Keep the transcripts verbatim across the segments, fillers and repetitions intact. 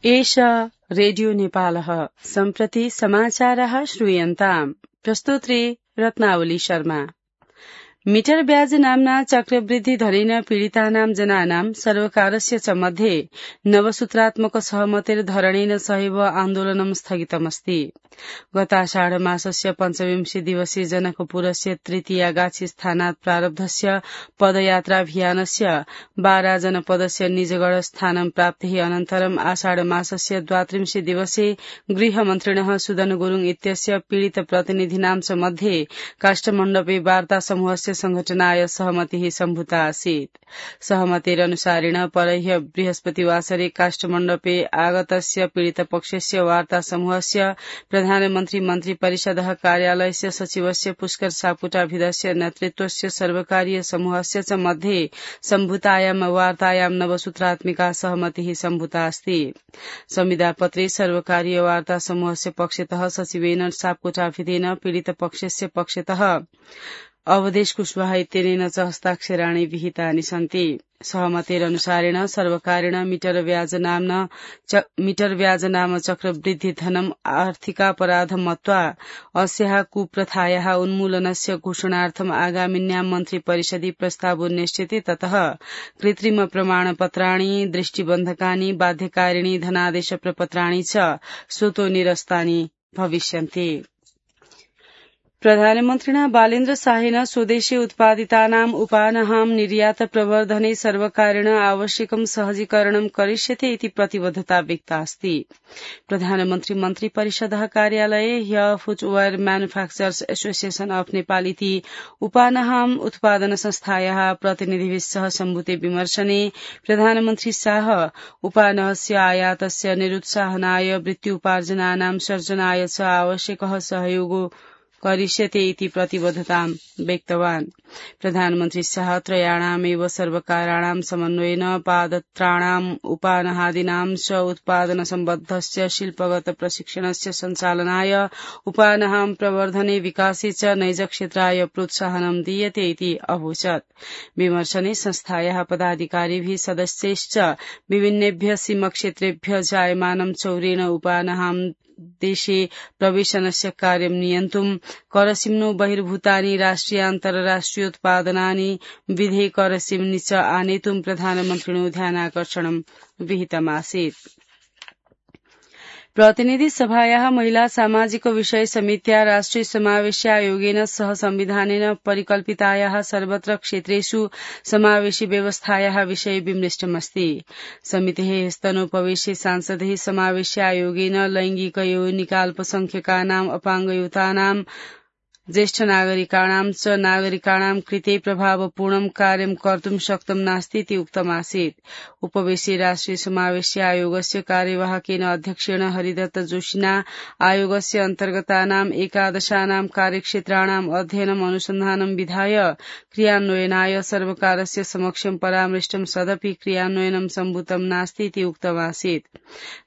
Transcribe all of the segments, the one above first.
एष रेडियो नेपालः सम्प्रति समाचारः श्रूयन्ताम्। प्रस्तोत्री रत्नावली शर्मा। मीटर ब्याज नाम्ना चक्रवृद्धि धनेन पीडितानां जनानां सर्वकारस्य च मध्ये नवसूत्रात्मक सहमतेर धरणेन सहैव आन्दोलनं स्थगितमस्ति। गताषाढ मासस्य पञ्चविंशति दिवसीय जनकपुरस्य तृतीयागाछी स्थानात् प्रारब्धस्य पदयात्राभियानस्य बारा जनपदस्य निजगढ स्थानं प्राप्तिः अनन्तरम् आषाढ मासस्य द्वात्रिंशे दिवसे गृहमन्त्रिणः सुदन गुरुङ इत्यस्य पीडित प्रतिनिधिनां च मध्ये काष्ठमण्डपे वार्ता समूहस्य संघटनाय सहमतिः सम्भूता आसीत्। सहमतेरनुसारेण परह्य बृहस्पतिवासरे काष्ठमण्डपे आगतस्य पीडितपक्षस्य वार्ता समूहस्य प्रधानमन्त्री मन्त्री परिषदः कार्यालयस्य सचिवस्य पुष्कर सापुटाभिधस्य नेतृत्वस्य सर्वकारीय समूहस्य च मध्ये सम्भूतायां वार्तायां नवसूत्रात्मिका सहमतिः सम्भूता अस्ति। संविदापत्रे सर्वकारीय वार्ता समूहस्य पक्षतः सचिवेन सापकोटाभिधेन पीडितपक्षस्य पक्षतः अवधेश कुशवाहा इत्यनेन च हस्ताक्षराणि विहितानि सन्ति। सहमतेरनुसारेण सर्वकारेण मीटर ब्याज नाम्ना मीटर ब्याज नाम चक्रवृद्धि धनम् आर्थिकापराध मत्वा अस्याः कुप्रथायाः उन्मूलनस्य घोषणार्थम् आगामिन्यां मन्त्री परिषदि प्रस्तावो निश्चिते ततः कृत्रिम प्रमाणपत्राणि दृष्टिबन्धकानि बाध्यकारिणी धनादेश प्रपत्राणि च स्वतो निरस्तानि भविष्यन्ति। प्रधानमन्त्रिणा बालेन्द्र शाहेन स्वदेशे उत्पादितानाम् उपानानां निर्यात प्रवर्धने सर्वकारेण आवश्यकं सहजीकरणं करिष्यते इति प्रतिबद्धता व्यक्ता अस्ति। प्रधानमन्त्री मन्त्री परिषदः कार्यालये ह्य फुटवेयर म्यानुफ्याक्चरर्स एसोसिएशन अफ नेपाल इति उपानानाम् उत्पादन संस्थायाः प्रतिनिधिभिः सह सम्भूते विमर्शने प्रधानमन्त्री शाह उपानहस्य आयातस्य निरुत्साहनाय वृत्त्युपार्जनानां सर्जनाय च आवश्यकः सहयोगो करिष्यते इति प्रतिबद्धतां व्यक्तवान्। प्रधानमन्त्री शाह त्रयाणामेव सर्वकाराणां समन्वयेन पादत्राणाम् उपानहादीनां च उत्पादन सम्बद्धस्य शिल्पगत प्रशिक्षणस्य सञ्चालनाय उपानहां प्रवर्धने विकासे च नैजक्षेत्राय प्रोत्साहनं दीयते इति अवोचत्। विमर्शने संस्थायाः पदाधिकारिभिः सदस्यैश्च विभिन्नेभ्यः सीमक्षेत्रेभ्यः जायमानं चौरेण उपानहां देशे प्रवेशनस्य कार्यं नियन्तुं करसिम्नो बहिर्भूतानि राष्ट्रिय अन्तर्राष्ट्रियोत्पादनानि विधे करसिम्नि च आनेतुं प्रधानमन्त्रिणो ध्यानाकर्षणं विहितमासीत्। प्रतिनिधि सभायाः महिला सामाजिक विषय समित्या राष्ट्रिय समावेशी आयोगेन सह संविधानेन परिकल्पितायाः सर्वत्र क्षेत्रेषु समावेशी व्यवस्थायाः विषये विमृष्टमस्ति। समितेः स्तनोपवेशे सांसदैः समावेशी आयोगेन लैंगिक यौनिका अल्पसंख्यकानाम् अपाङ्गयुतानां ज्येष्ठ नागरिकाणां च नागरिकाणां कृते प्रभावपूर्णं कार्यं कर्तुं शक्तं नास्ति इति उक्तमासीत्। उपवेशे राष्ट्रिय समावेशी आयोगस्य कार्यवाहकेन अध्यक्षेण हरिदत्त जोशिना आयोगस्य अन्तर्गतानाम् एकादशानां कार्यक्षेत्राणाम् अध्ययनम् अनुसन्धानं विधाय क्रियान्वयनाय सर्वकारस्य समक्षं परामृष्टं सदपि क्रियान्वयनं सम्भूतं नास्ति इति उक्तमासीत्।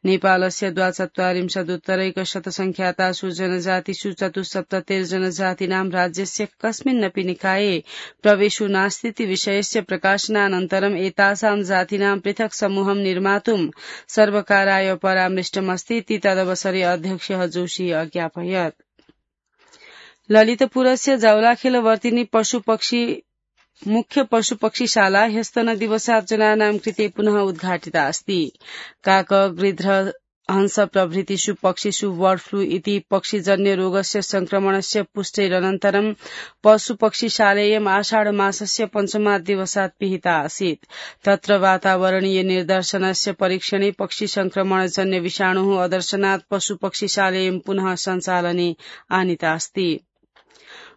नेपालस्य द्वाचत्वारिंशदुत्तरैकशतसंख्यातासु जनजातिषु चतुस्सप्ततिर्जनजातीनां राज्यस्य कस्मिन्नपि निकाये प्रवेशो नास्तीति विषयस्य प्रकाशनानन्तरम् एतासां जातीनां पृथक् समूहं निर्मातुं सर्वकाराय परामृष्टमस्ति इति तदवसरे अध्यक्षः जोशी अज्ञापयत्। ललितपुरस्य जावलाखेलवर्तिनी पशुपक्षी मुख्य पशुपक्षीशाला ह्यस्तनदिवसात् जनानां कृते पुनः उद्घाटिता अस्ति। काक गृध्र हंस प्रभृतिषु पक्षिषु बर्ड फ्लू इति पक्षिजन्य रोगस्य संक्रमणस्य पुष्टेरनन्तरं पशुपक्षीशालेयम् आषाढ मासस्य पञ्चमात् दिवसात् पिहिता आसीत्। तत्र वातावरणीय निर्दर्शनस्य परीक्षणे पक्षि संक्रमणजन्य विषाणुः अदर्शनात् पशुपक्षीशालेयं पुनः सञ्चालने आनीता अस्ति।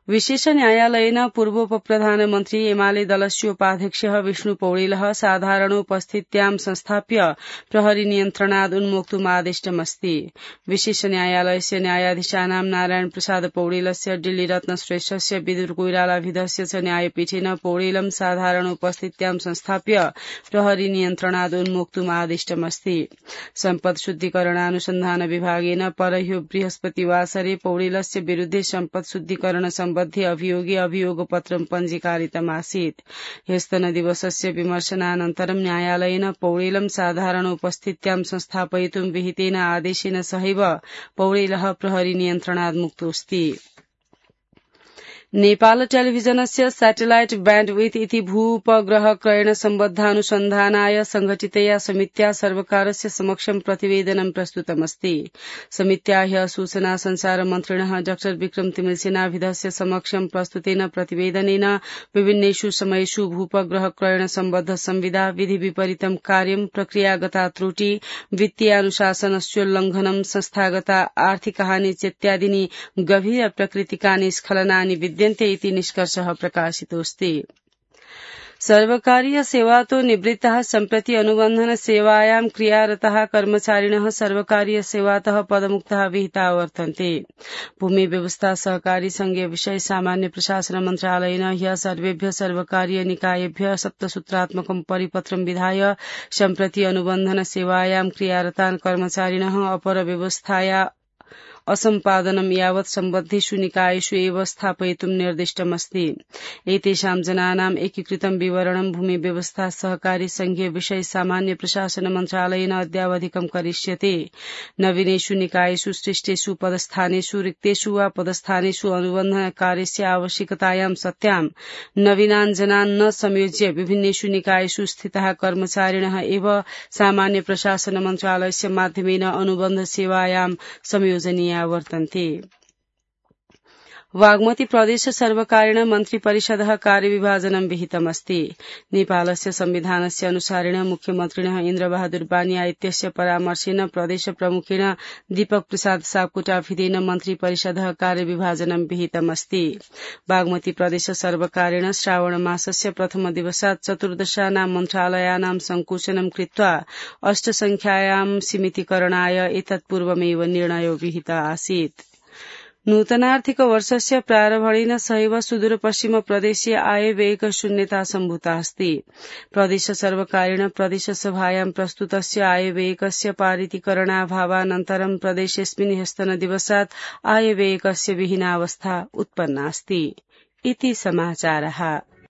विशेष न्यायालयेन पूर्वोपप्रधानमन्त्री एमाले दलस्य उपाध्यक्षः विष्णु पौडेलः साधारणोपस्थित्यां संस्थाप्य प्रहरी नियन्त्रणाद् उन्मोक्तुम् आदिष्टमस्ति। विशेष न्यायालयस्य न्यायाधीशानां नारायण प्रसाद पौडेलस्य दिल्ली रत्न श्रेष्ठस्य विदुर कोइरालाभिधस्य च न्यायपीठेन पौडेलं साधारणोपस्थित्यां संस्थाप्य प्रहरी नियन्त्रणाद् उन्मोक्तुम् आदिष्टमस्ति। सम्पद शुद्धिकरणानुसन्धान विभागेन परह्यो बृहस्पतिवासरे पौडेलस्य विरुद्धे सम्पद शुद्धिकरण सम्बद्धे अभियोगे अभियोगपत्रं पञ्जीकारितमासीत्। ह्यस्तनदिवसस्य विमर्शनानन्तरं न्यायालयेन पौडेलं साधारण उपस्थित्यां संस्थापयितुं विहितेन आदेशेन सहैव पौडेलः प्रहरी नियन्त्रणात् मुक्तोऽस्ति। नेपाल टेलिभिजनस्य सैटेलाइट बैंडविड्थ इति भूपग्रह क्रयण सम्बद्धानुसन्धानाय संघटितया समित्या सर्वकारस्य समक्षं प्रतिवेदनं प्रस्तुतमस्ति। समित्या ह्यः सूचना संचार मन्त्रिणः डॉ विक्रम तिमिलसेनाभिधस्य समक्षं प्रस्तुतेन प्रतिवेदनेन विभिन्नेषु समयेषु भूपग्रह क्रयण सम्बद्ध संविदा, विधि विपरीतं कार्यं, प्रक्रियागता त्रुटि, वित्तीयानुशासनस्योल्लङ्घनं, संस्थागता आर्थिकहानि चेत्यादीनि गभीर प्रकृतिकानि स्खलनानि विद्यन्ते इति निष्कर्षः प्रकाशितोऽस्ति। सर्वकारीय सेवातो निवृत्ताः सम्प्रति अनुबन्धन सेवायां क्रियारताः कर्मचारिणः सर्वकारीय सेवातः पदमुक्ताः विहिताः वर्तन्ते। भूमि व्यवस्था सहकारी संघीय विषय सामान्य प्रशासन मन्त्रालयेन ह्यः सर्वेभ्यः सर्वकारीय निकायेभ्यः सप्तसूत्रात्मकं परिपत्रं विधाय सम्प्रति अनुबन्धन सेवायां क्रियारतान् कर्मचारिणः अपर व्यवस्थाया असम्पादनं यावत् सम्बद्धेषु निकायेषु एव स्थापयितुं निर्दिष्टमस्ति। एतेषां जनानां एकीकृतं विवरणं भूमि व्यवस्था सहकारी संघीय विषय सामान्य प्रशासन मन्त्रालयेन अद्यावधिकं करिष्यते। नवीनेषु निकायेषु सृष्टेषु पदस्थानेषु रिक्तेषु वा पदस्थानेषु अनुबन्धन कार्यस्य आवश्यकतायां सत्यां नवीनान् जनान् न संयोज्य विभिन्नेषु निकायेषु स्थिताः कर्मचारिणः एव सामान्य प्रशासन मन्त्रालयस्य माध्यमेन अनुबन्ध सेवायां संयोजनीया वर्तन्ते। बागमती प्रदेश सर्वकारेण मन्त्री परिषदः कार्यविभाजनं विहितमस्ति। नेपालस्य संविधानस्य अनुसारेण मुख्यमन्त्रिणः इन्द्रबहादुर बानिया इत्यस्य परामर्शेन प्रदेश प्रमुखेण दीपक प्रसाद सापकोटाभिधेन मन्त्री परिषदः कार्यविभाजनं विहितमस्ति। बागमती प्रदेश सर्वकारेण श्रावण मासस्य प्रथम दिवसात् चतुर्दशानां मन्त्रालयानां संकुचनं कृत्वा अष्टसंख्यायां सीमितीकरणाय एतत्पूर्वमेव निर्णयो विहितः आसीत्। नूतनार्थिक वर्षस्य प्रारम्भेन सहैव सुदूरपश्चिम प्रदेशीय आयव्ययिक शून्यता सम्भूता अस्ति। प्रदेश सर्वकारेण प्रदेशसभायां प्रस्तुतस्य आयव्ययिकस्य पारितीकरणाभावानन्तरं प्रदेशेऽस्मिन् ह्यस्तनदिवसात् आयव्ययिकस्य विहीनावस्था उत्पन्नास्ति। इति समाचारः।